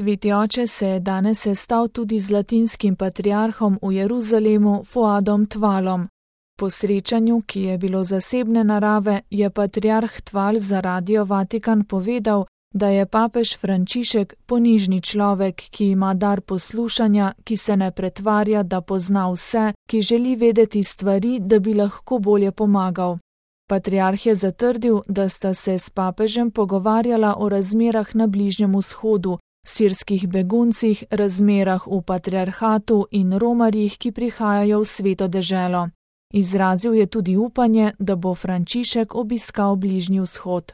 Sveti oče se je danes sestal tudi z latinskim patriarhom v Jeruzalemu Fuadom Tvalom. Po srečanju, ki je bilo zasebne narave, je patriarh Tval za Radio Vatikan povedal, da je papež Frančišek ponižni človek, ki ima dar poslušanja, ki se ne pretvarja, da pozna vse, ki želi vedeti stvari, da bi lahko bolje pomagal. Patriarh je zatrdil, da sta se s papežem pogovarjala o razmerah na Bližnjem vzhodu, sirskih beguncih, razmerah v patriarhatu in romarjih, ki prihajajo v Sveto deželo. Izrazil je tudi upanje, da bo Frančišek obiskal Bližnji vzhod.